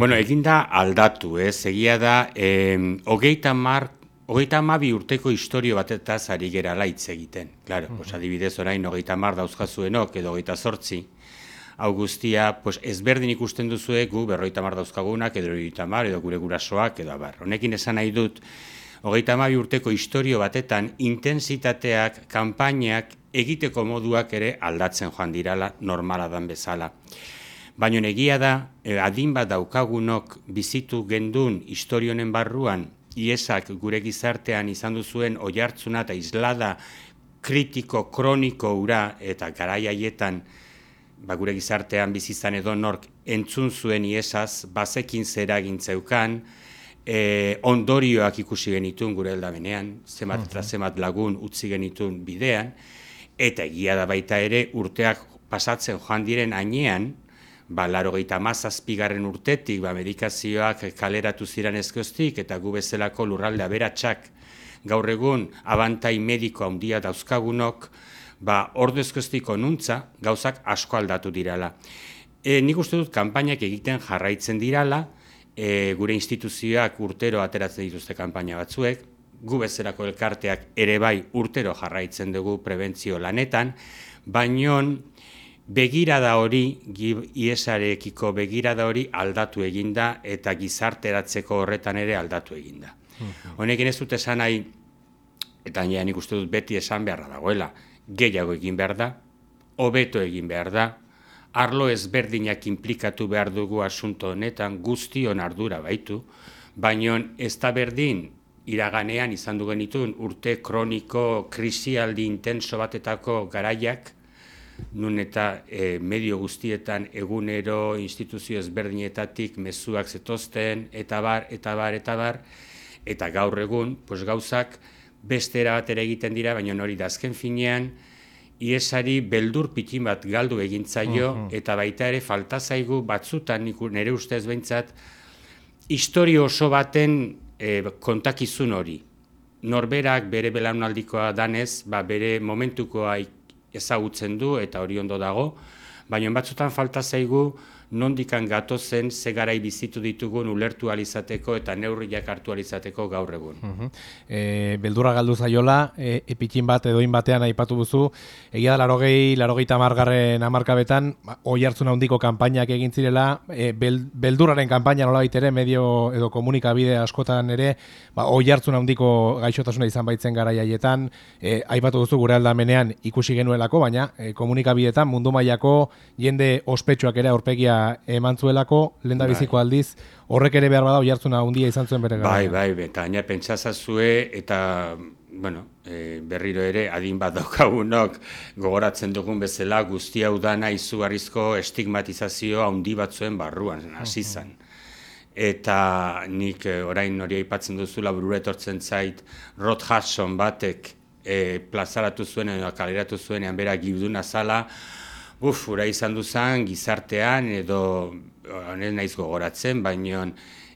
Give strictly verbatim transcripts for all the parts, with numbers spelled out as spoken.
Bueno, eginda aldatu, ez, egia da, eh, hogeita mar, hogeita hamabi urteko historio batetaz ari gerala hitz egiten. Claro, uh -huh. pues adibidez orain hogeita hamar dauzkazuenok edo hogeita zortzi, hau guztia, pues ezberdin ikusten duzue gu berrogeita hamar dauzkagunak edo hogeita hamar edo gure gurasoak edo abar. Honekin esan nahi dut, hogeita hamabi urteko historio batetan intensitateak, kanpainak, egiteko moduak ere aldatzen joan dirala normala dan bezala. Baina egia da, adin bat daukagunok bizitu gendun historionen barruan, iesak gure gizartean izan duzuen oihartzuna eta islada kritiko, kroniko ura eta garai haietan ba, gure gizartean bizizan edo nork entzun zuen iesaz, bazekin zera gintzeukan, e, ondorioak ikusi genitun gure heldamenean, zemat eta zemat lagun utzi genitun bidean, eta egia da baita ere urteak pasatzen joan diren ainean, ba, laurogeita hamazazpigarren urtetik, ba, medikazioak kaleratu ziren ezkoztik, eta gu bezalako lurralde aberatsak gaur egun abantai mediko handia dauzkagunok, ba, ordu ezkoztik onuntza gauzak asko aldatu dirala. E, nik uste dut kanpainak egiten jarraitzen dirala, e, gure instituzioak urtero ateratzen dituzte kanpaina batzuek, gu bezalako elkarteak ere bai urtero jarraitzen dugu prebentzio lanetan, baino begirada hori, iesarekiko begirada hori aldatu eginda eta gizarteratzeko horretan ere aldatu eginda. Honekin ez dut esan nahi, eta nik uste dut beti esan beharra dagoela, gehiago egin behar da, hobeto egin behar da, arlo ezberdinak inplikatu behar dugu asunto honetan, guztion ardura baitu, baino ez da berdin iraganean izan du genituen urte kroniko, krisialdi intenso batetako garaiak, nun eta e, medio guztietan egunero instituzio ezberdinetatik mezuak zetozten, eta bar, eta bar, eta bar, eta gaur egun, pues gauzak beste erabatera egiten dira, baina hori da azken finean, iesari beldur pitin bat galdu egintzaio, uh -huh. eta baita ere falta zaigu batzutan, nire ustez behintzat, historio oso baten e, kontakizun hori. Norberak bere belaunaldikoa danez, ba, bere momentukoa ezagutzen du eta hori ondo dago, baina batzutan falta zaigu nondikan gatozen ze garai bizitu ditugun ulertu alizateko eta neurriak hartu alizateko gaur egun. Uh -huh. e, beldurra galdu zaiola, e, epikin bat edoin batean aipatu duzu, egia da larogei, larogeita hamargarren hamarkabetan, oihartzun handiko kanpainak egin zirela, e, bel, beldurraren kanpaina nolabait ere, medio edo komunikabide askotan ere, ba, oihartzun handiko gaixotasuna izan baitzen garai haietan, e, aipatu duzu gure aldamenean ikusi genuelako, baina e, komunikabidetan mundu mailako jende ospetsuak ere aurpegia eman zuelako, lehendabiziko aldiz, horrek ere behar bada oihartzuna handia izan zuen bere gara. Bai, bai, eta gaina pentsazazue, eta, bueno, e, berriro ere, adin bat daukagunok, gogoratzen dugun bezala, guzti hau dana izugarrizko estigmatizazio handi batzuen barruan, hasi zen. Eta nik e, orain hori aipatzen duzula burura etortzen zait, Rod Hudson batek e, plazaratu zuen edo kaleratu zuenean bera gibduna zala, Uf, ura izan duzan, gizartean, edo, ez naiz gogoratzen, baino,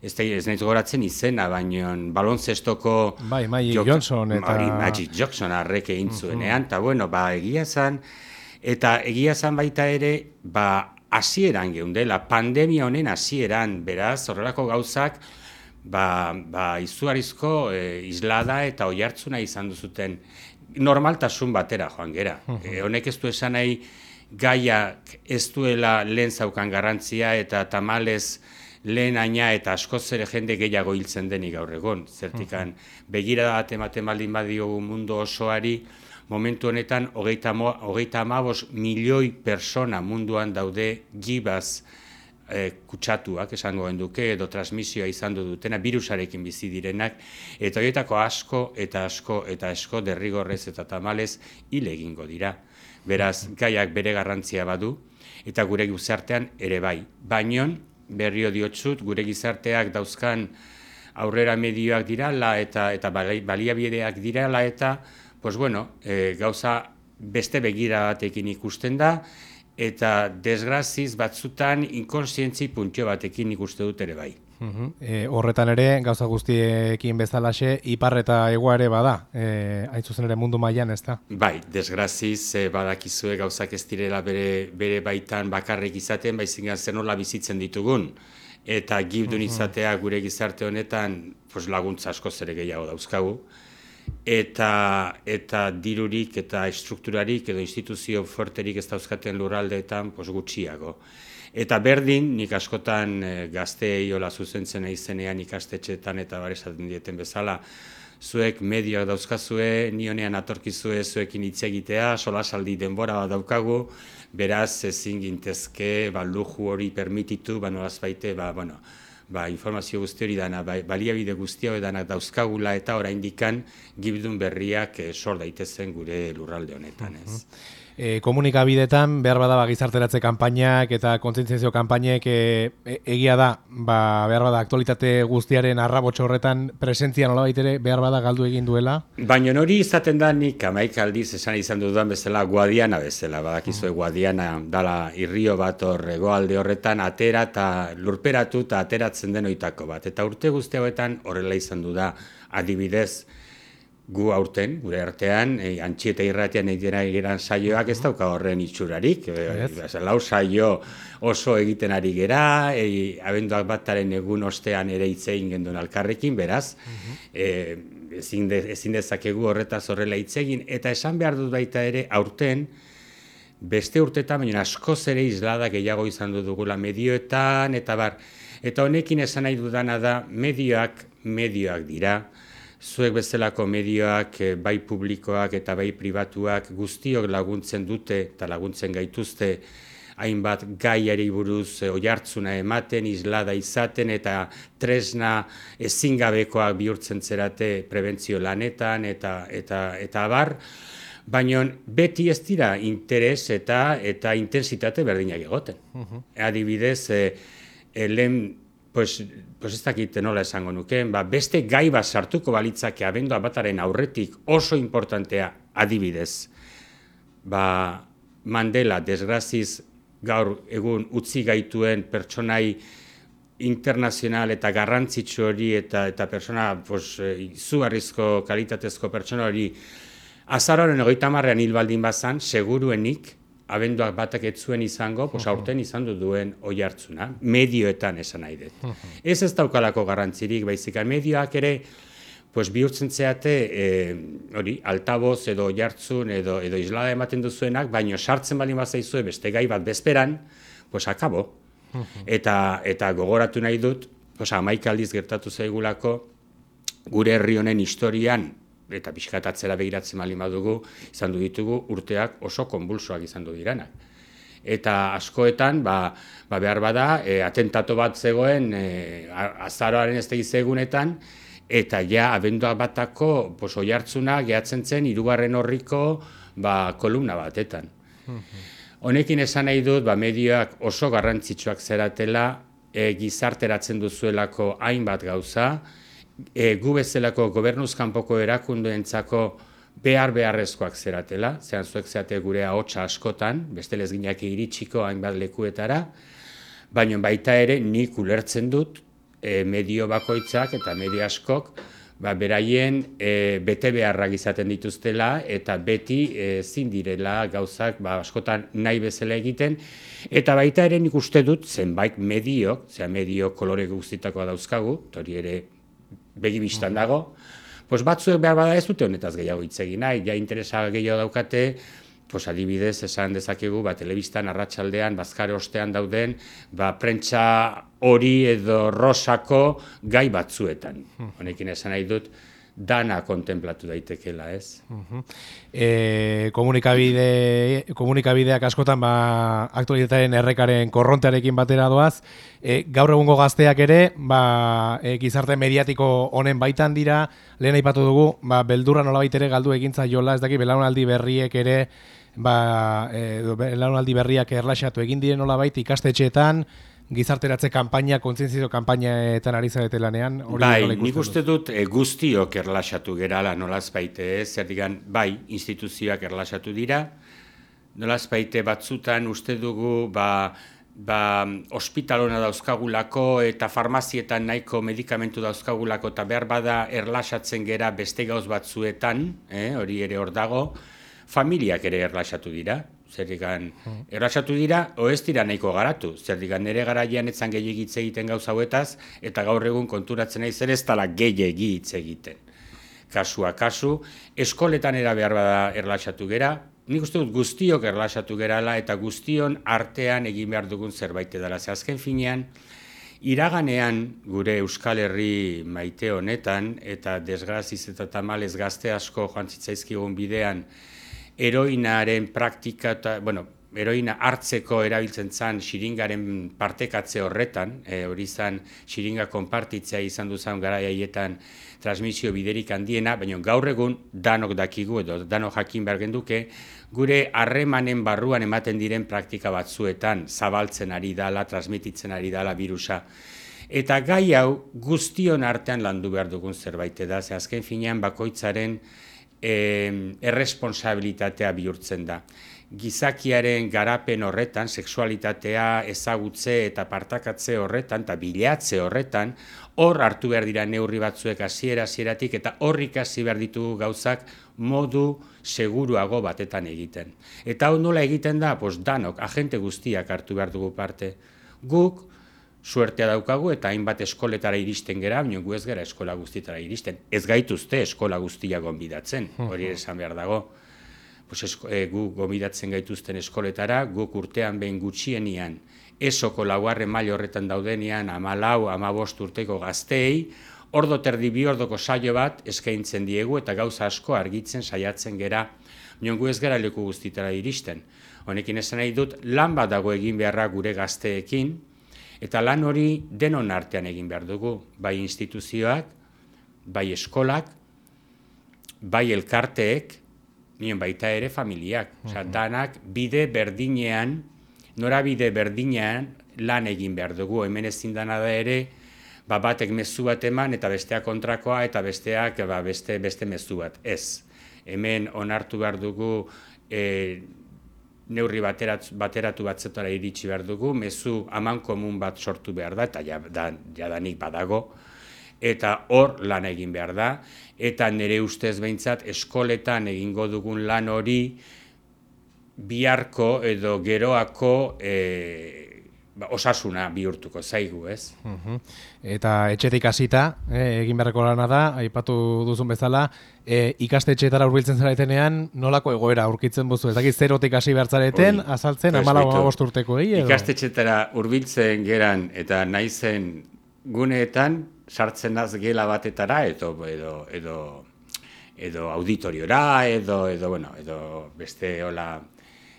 ez, ez naiz gogoratzen izena, baino, balonzestoko... Bai, Magic Johnson eta... Mari, Magic Johnson arrek egin zuenean, eta bueno, ba, egia zan, eta egia zan baita ere, ba, hasieran geundela, pandemia honen hasieran, beraz, horrelako gauzak, ba, ba izugarrizko e, islada eta oihartzuna izan duzuten normaltasun batera joan gera. E, honek ez du esan nahi, gaiak ez duela lehen zaukan garrantzia eta tamalez lehen aina eta askoz ere jende gehiago hiltzen denik gaur egon. Zertikan begirada bat ematen baldin badiogu mundu osoari, momentu honetan hogeita hamabost milioi persona munduan daude gibaz e, kutsatuak, esango genduke, edo transmisioa izan du dutena, birusarekin bizi direnak, eta horietako asko eta asko eta asko derrigorrez eta tamalez hil egingo dira. Beraz, gaiak bere garrantzia badu, eta gure gizartean ere bai. Baino, berrio diotsut, gure gizarteak dauzkan aurrera medioak dirala eta eta baliabideak dirala eta, pues bueno, e, gauza beste begira batekin ikusten da, eta desgraziz batzutan inkonsientzi puntio batekin ikuste dut ere bai. Uh-huh. E, horretan ere, gauza guztiekin bezalaxe, ipar eta hegua ere bada, e, hain zuzen ere mundu mailan, ez da? Bai, desgraziz e, badakizue gauzak ez direla bere, bere baitan bakarrik izaten, baizik zer nola bizitzen ditugun. eta gibdun izatea gure gizarte honetan pues, laguntza asko zere gehiago dauzkagu. Eta, eta dirurik eta estrukturarik edo instituzio fuerterik ez dauzkaten lurraldeetan pues, gutxiago. Eta berdin, nik askotan e, gazteei hola zuzentzen izenean ikastetxeetan eta bar esaten dieten bezala, zuek medioak dauzkazue, nionean atorkizue zuekin hitz egitea, solasaldi denbora bat daukagu, beraz ezin gintezke ba, luju hori permititu, ba, nolaz baite, ba, bueno, ba, informazio guzti hori dana, ba, baliabide guzti hori danak dauzkagula eta oraindikan gibdun berriak e, sor daitezen gure lurralde honetan, ez. E, komunikabidetan behar bada ba, gizarteratze kanpainak eta kontzientziazio kanpainek e, e, egia da ba, behar bada aktualitate guztiaren arrabotxo horretan presentzia nolabait ere behar bada galdu egin duela? Baina hori izaten da nik amaik aldiz esan izan dudan bezala Guadiana bezala, badakizue mm. Guadiana dala irrio bat hor hegoalde horretan atera eta lurperatu eta ateratzen den oitako bat. Eta urte guzti hauetan horrela izan du da adibidez gu aurten, gure artean, e, Antxieta irratian egiten egeran saioak ez dauka horren itxurarik. Yes. Lau saio oso egiten ari gera, e, abenduak bataren egun ostean ere hitz egin gendun alkarrekin, beraz, uh-huh. e, ezin, de, ezin dezakegu horretaz horrela hitz egin, eta esan behar dut baita ere aurten, beste urtetan, baina askoz ere islada gehiago izan dugula medioetan, eta bar, eta honekin esan nahi dudana da, medioak, medioak dira, zuek bezalako medioak, bai publikoak eta bai pribatuak guztiok laguntzen dute eta laguntzen gaituzte hainbat gaiari buruz oihartzuna ematen, islada izaten eta tresna ezingabekoak bihurtzen zerate prebentzio lanetan eta eta eta abar, baina beti ez dira interes eta eta intensitate berdinak egoten. Uh-huh. Adibidez, e, e, lehen Pues, pues ez dakit nola esango nukeen, ba, beste gai bat sartuko balitzake abendua bataren aurretik oso importantea adibidez. Ba, Mandela, desgraziz, gaur egun utzi gaituen pertsonai internazional eta garrantzitsu hori eta eta pertsona pues, izugarrizko kalitatezko pertsona hori azaroaren hogeita hamarrean hil baldin bazan, seguruenik, abenduak batak ez zuen izango, pues aurten izan du duen oihartzuna, medioetan esan nahi dut. Ez ez daukalako garrantzirik, baizik, medioak ere pues, bihurtzen zeate hori, e, altaboz edo oihartzun edo, edo islada ematen duzuenak, baino sartzen baldin bazaizue beste gai bat bezperan, pues akabo. eta, eta gogoratu nahi dut, pues, hamaika aldiz gertatu zaigulako, gure herri honen historian, eta pixkatatzera begiratzen baldin badugu, izan du ditugu urteak oso konbulsoak izan du diranak. Eta askoetan, ba, ba behar bada, e, atentato bat zegoen e, azaroaren ez egunetan, eta ja abenduak batako pues, oihartzuna gehatzen zen hirugarren horriko ba, kolumna batetan. Honekin esan nahi dut, ba, medioak oso garrantzitsuak zeratela, e, gizarteratzen duzuelako hainbat gauza, E, gu bezalako gobernuzkanpoko erakundeentzako behar beharrezkoak zeratela, zean zuek zeate gure ahotsa askotan, bestelez ginak iritsiko hainbat lekuetara, baina baita ere nik ulertzen dut e, medio bakoitzak eta medio askok ba, beraien e, bete beharrak izaten dituztela eta beti ezin direla gauzak ba, askotan nahi bezala egiten, eta baita ere nik uste dut zenbait mediok, zera medio kolore guztitakoa dauzkagu, hori ere begibistan dago, pues batzuek behar bada ez dute honetaz gehiago hitz egin nahi, ja interesa gehiago daukate, pues adibidez esan dezakegu, ba, telebistan arratsaldean, bazkare ostean dauden, ba, prentsa hori edo rosako gai batzuetan. Honekin esan nahi dut, dana kontemplatu daitekela, ez? Uh-huh. E, komunikabide, komunikabideak askotan ba, aktualitatearen errekaren korrontearekin batera doaz, e, gaur egungo gazteak ere, ba, e, gizarte mediatiko honen baitan dira, lehen aipatu dugu, ba, beldurra nolabait ere galdu egintza jola, ez daki belaunaldi berriek ere, ba, e, belaunaldi berriak erlaxatu egin diren nolabait ikastetxeetan, gizarteratze kanpaina, kontzientzio kanpainetan ari zarete lanean? Bai, nik uste dut e, guztiok erlaxatu gerala nolaz baite, zer digan, bai, instituzioak erlaxatu dira, nolaz baite batzutan uste dugu, ba, ba, ospitalona dauzkagulako eta farmazietan nahiko medikamentu dauzkagulako eta behar bada erlaxatzen gera beste gauz batzuetan, eh, hori ere hor dago, familiak ere erlaxatu dira. zerrikan erlaxatu dira, o ez dira nahiko garatu, zerrikan nire garaian etzan gehiagitz egiten gauza hauetaz, eta gaur egun konturatzen naiz ere ez dala gehiagi hitz egiten. Kasua kasu, eskoletan era behar bada erlaxatu gera, nik uste dut guztiok erlaxatu gerala eta guztion artean egin behar dugun zerbait edala. Ze azken finean, iraganean gure Euskal Herri maite honetan, eta desgraziz eta tamalez gazte asko joan zitzaizkigun bidean, heroinaren praktika, eta, bueno, heroina hartzeko erabiltzen zan xiringaren partekatze horretan, e, hori zan xiringa konpartitzea izan duzan gara haietan transmisio biderik handiena, baina gaur egun danok dakigu edo danok jakin behar genduke, gure harremanen barruan ematen diren praktika batzuetan zabaltzen ari dala, transmititzen ari dala virusa. Eta gai hau guztion artean landu behar dugun zerbait da, ze azken finean bakoitzaren eh, erresponsabilitatea bihurtzen da. Gizakiaren garapen horretan, sexualitatea ezagutze eta partakatze horretan, eta bilatze horretan, hor hartu behar dira neurri batzuek hasiera hasieratik eta hor ikasi behar ditugu gauzak modu seguruago batetan egiten. Eta hau nola egiten da, pues danok, agente guztiak hartu behar dugu parte. Guk suertea daukagu eta hainbat eskoletara iristen gera, baina gu ez gara eskola guztietara iristen. Ez gaituzte eskola guztia gonbidatzen, hori esan behar dago. Pues esko, e, gu gomidatzen gaituzten eskoletara, guk urtean behin gutxienian, esoko laugarren maila horretan daudenean, hamalau, hamabost urteko gazteei, ordo terdi bi ordoko saio bat eskaintzen diegu eta gauza asko argitzen saiatzen gera, baina gu ez gara leku guztietara iristen. Honekin esan nahi dut, lan bat dago egin beharra gure gazteekin, eta lan hori denon artean egin behar dugu, bai instituzioak, bai eskolak, bai elkarteek, nien baita ere familiak. Osea, danak bide berdinean, norabide berdinean lan egin behar dugu. Hemen ezin dana da ere, ba, batek mezu bat eman eta besteak kontrakoa eta besteak ba, beste, beste mezu bat. Ez. Hemen onartu behar dugu e, neurri bateratu, bateratu batzetara iritsi behar dugu, mezu aman komun bat sortu behar da, eta jadanik badago, eta hor lan egin behar da, eta nire ustez behintzat eskoletan egingo dugun lan hori biharko edo geroako e, ba, osasuna bihurtuko zaigu, ez? Uh-huh. Eta etxetik hasita, eh, egin beharreko lana da, aipatu duzun bezala, eh, ikastetxeetara hurbiltzen zaretenean, nolako egoera aurkitzen buzu? Ez dakit zerotik hasi behar zareten, Oi, azaltzen, hamalau hamabost urtekoei? Ikastetxeetara hurbiltzen geran eta naizen guneetan, sartzen az gela batetara edo edo edo edo auditoriora edo edo bueno, edo beste hola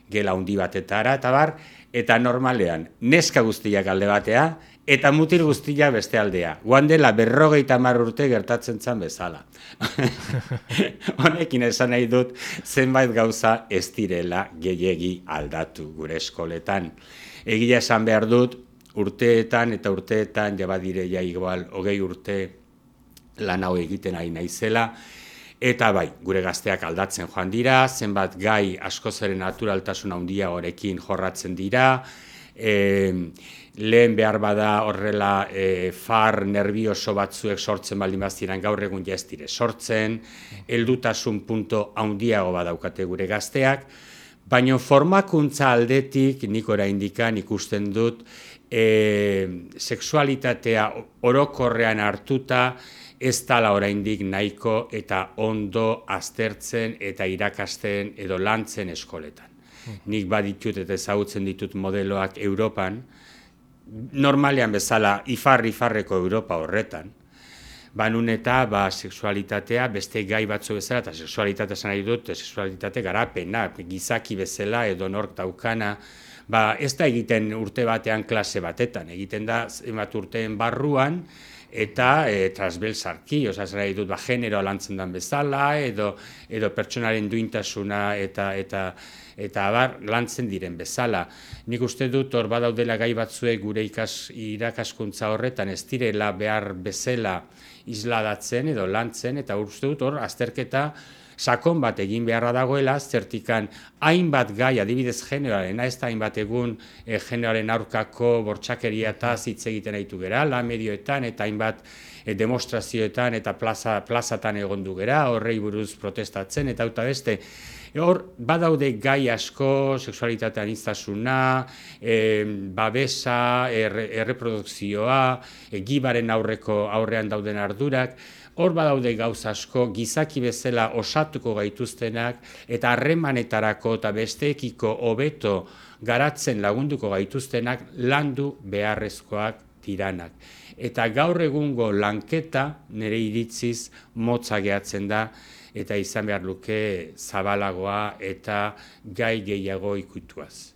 gela handi batetara eta bar, eta normalean neska guztiak alde batea eta mutil guztia beste aldea. Guan dela berrogeita hamar urte gertatzen zan bezala. Honekin esan nahi dut zenbait gauza ez direla gehiegi aldatu gure eskoletan. Egia esan behar dut urteetan eta urteetan, ja badire ja igual, hogei urte lan hau egiten ari naizela, eta bai, gure gazteak aldatzen joan dira, zenbat gai askozaren naturaltasun handia horekin jorratzen dira, e, lehen behar bada horrela e, far nervioso batzuek sortzen baldin baziran gaur egun ja ez dire sortzen, heldutasun punto handiago badaukate gure gazteak, baina formakuntza aldetik nik oraindikan ikusten dut E, sexualitatea orokorrean hartuta ez dala oraindik nahiko eta ondo aztertzen eta irakasten edo lantzen eskoletan. Hmm. Nik baditut eta ezagutzen ditut modeloak Europan, normalean bezala ifar-ifarreko Europa horretan, banun eta ba, sexualitatea beste gai batzu bezala, eta sexualitatea esan nahi dut, sexualitate garapena, gizaki bezala edo nork daukana, ba, ez da egiten urte batean klase batetan, egiten da zenbat urteen barruan eta e, transbersalki, osea, zer nahi dut, ba, genero lantzen den bezala, edo, edo pertsonaren duintasuna eta eta eta abar lantzen diren bezala. Nik uste dut hor badaudela gai batzuek gure ikas, irakaskuntza horretan ez direla behar bezala isladatzen edo lantzen, eta uste dut hor azterketa sakon bat egin beharra dagoela, zertikan hainbat gai, adibidez generoaren, ez da hainbat egun e, generoaren aurkako bortxakeria eta hitz egiten aitu gera, la medioetan eta hainbat e, demostrazioetan eta plaza, plazatan egon du gera, horrei buruz protestatzen, eta hauta beste, Hor, badaude gai asko, sexualitate aniztasuna, e, babesa, erre, erreprodukzioa, e, gibaren aurreko aurrean dauden ardurak, hor badaude gauz asko, gizaki bezala osatuko gaituztenak, eta harremanetarako eta besteekiko hobeto garatzen lagunduko gaituztenak landu beharrezkoak diranak. Eta gaur egungo lanketa nire iritziz motza gehatzen da, eta izan behar luke zabalagoa eta gai gehiago ikutuaz.